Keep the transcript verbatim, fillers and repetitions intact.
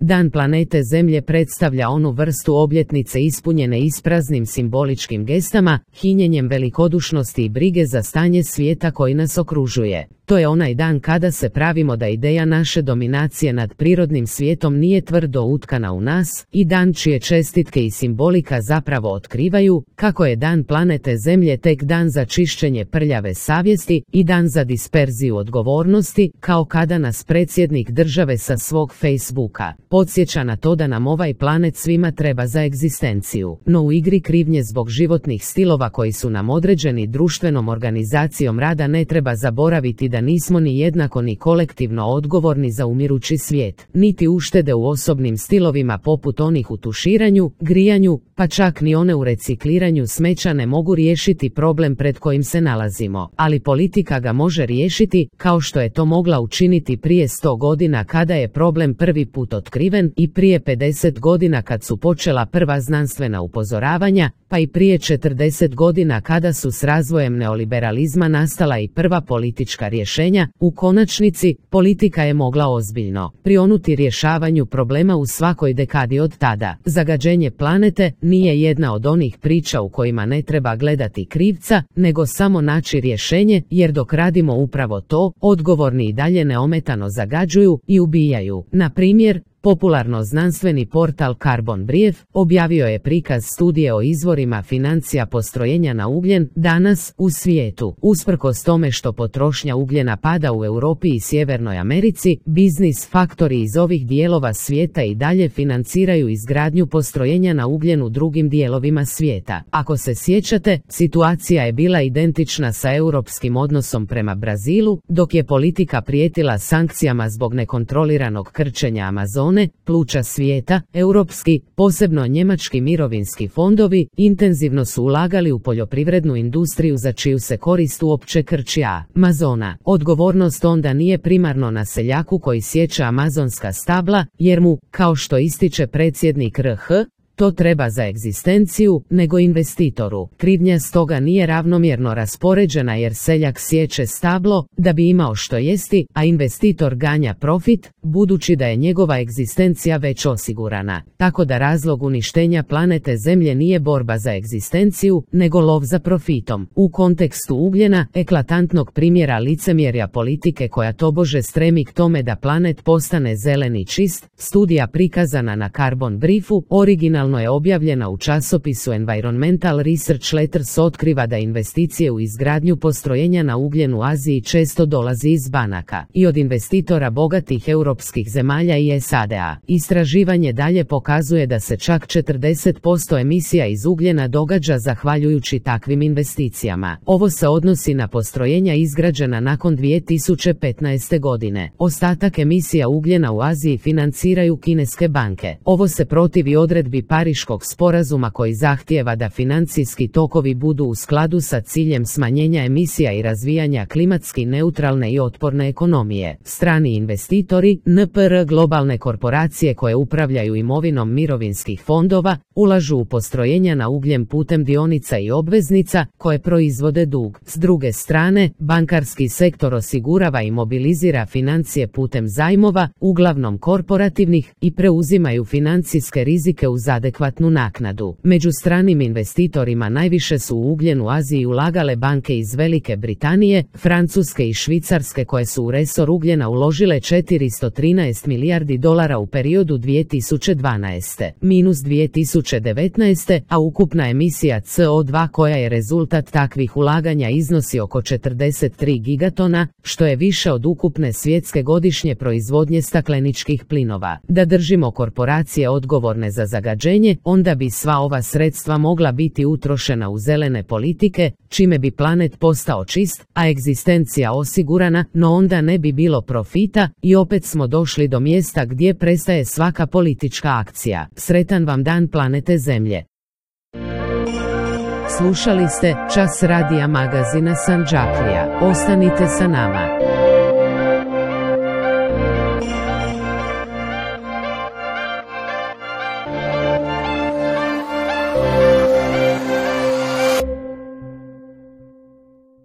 Dan planete Zemlje predstavlja onu vrstu obljetnice ispunjene ispraznim simboličkim gestama, hinjenjem velikodušnosti i brige za stanje svijeta koji nas okružuje. To je onaj dan kada se pravimo da ideja naše dominacije nad prirodnim svijetom nije tvrdo utkana u nas, i dan čije čestitke i simbolika zapravo otkrivaju kako je dan planete Zemlje tek dan za čišćenje prljave savjesti i dan za disperziju odgovornosti, kao kada nas predsjednik države sa svog Facebooka podsjeća na to da nam ovaj planet svima treba za egzistenciju. No u igri krivnje zbog životnih stilova koji su nam određeni društvenom organizacijom rada ne treba zaboraviti da da nismo ni jednako ni kolektivno odgovorni za umirući svijet, niti uštede u osobnim stilovima poput onih u tuširanju, grijanju, pa čak ni one u recikliranju smeća ne mogu riješiti problem pred kojim se nalazimo, ali politika ga može riješiti, kao što je to mogla učiniti prije sto godina kada je problem prvi put otkriven i prije pedeset godina kad su počela prva znanstvena upozoravanja, pa i prije četrdeset godina kada su s razvojem neoliberalizma nastala i prva politička rješenja. U konačnici, politika je mogla ozbiljno prionuti rješavanju problema u svakoj dekadi od tada. Zagađenje planete nije jedna od onih priča u kojima ne treba gledati krivca, nego samo naći rješenje, jer dok radimo upravo to, odgovorni i dalje neometano zagađuju i ubijaju. Na primjer, popularno znanstveni portal Carbon Brief objavio je prikaz studije o izvorima financija postrojenja na ugljen danas u svijetu. Usprkos tome što potrošnja ugljena pada u Europi i Sjevernoj Americi, biznis faktori iz ovih dijelova svijeta i dalje financiraju izgradnju postrojenja na ugljen u drugim dijelovima svijeta. Ako se sjećate, situacija je bila identična sa europskim odnosom prema Brazilu, dok je politika prijetila sankcijama zbog nekontroliranog krčenja Amazone, pluća svijeta. Europski, posebno njemački mirovinski fondovi, intenzivno su ulagali u poljoprivrednu industriju za čiju se korist uopće krči Amazona. Odgovornost onda nije primarno na seljaku koji sječe amazonska stabla, jer mu, kao što ističe predsjednik R H, to treba za egzistenciju, nego investitoru. Krivnja stoga nije ravnomjerno raspoređena jer seljak sječe stablo da bi imao što jesti, a investitor ganja profit, budući da je njegova egzistencija već osigurana. Tako da razlog uništenja planete Zemlje nije borba za egzistenciju, nego lov za profitom. U kontekstu ugljena, eklatantnog primjera licemjerja politike koja tobože stremi k tome da planet postane zeleni čist, studija prikazana na Carbon Briefu, original je objavljena u časopisu Environmental Research Letters, otkriva da investicije u izgradnju postrojenja na ugljen u Aziji često dolazi iz banaka i od investitora bogatih europskih zemalja i S A D A. Istraživanje dalje pokazuje da se čak četrdeset posto emisija iz ugljena događa zahvaljujući takvim investicijama. Ovo se odnosi na postrojenja izgrađena nakon dvije tisuće petnaeste. godine. Ostatak emisija ugljena u Aziji financiraju kineske banke. Ovo se protivi odredbi Pariškog sporazuma koji zahtijeva da financijski tokovi budu u skladu sa ciljem smanjenja emisija i razvijanja klimatski neutralne i otporne ekonomije. Strani investitori, N P R globalne korporacije koje upravljaju imovinom mirovinskih fondova, ulažu u postrojenja na ugljen putem dionica i obveznica koje proizvode dug. S druge strane, bankarski sektor osigurava i mobilizira financije putem zajmova, uglavnom korporativnih, i preuzimaju financijske rizike uz adekvatnu naknadu. Među stranim investitorima najviše su u ugljen u Aziji ulagale banke iz Velike Britanije, Francuske i Švicarske koje su u resor ugljena uložile četiristo trinaest milijardi dolara u periodu dvije tisuće dvanaeste minus dvije tisuće devetnaeste, a ukupna emisija C O dva koja je rezultat takvih ulaganja iznosi oko četrdeset tri gigatona, što je više od ukupne svjetske godišnje proizvodnje stakleničkih plinova. Da držimo korporacije odgovorne za zagađenje, onda bi sva ova sredstva mogla biti utrošena u zelene politike, čime bi planet postao čist, a egzistencija osigurana, no onda ne bi bilo profita i opet smo došli do mjesta gdje prestaje svaka politička akcija. Sretan vam dan planete Zemlje. Slušali ste Čas radija magazina Sandžaklija. Ostanite sa nama.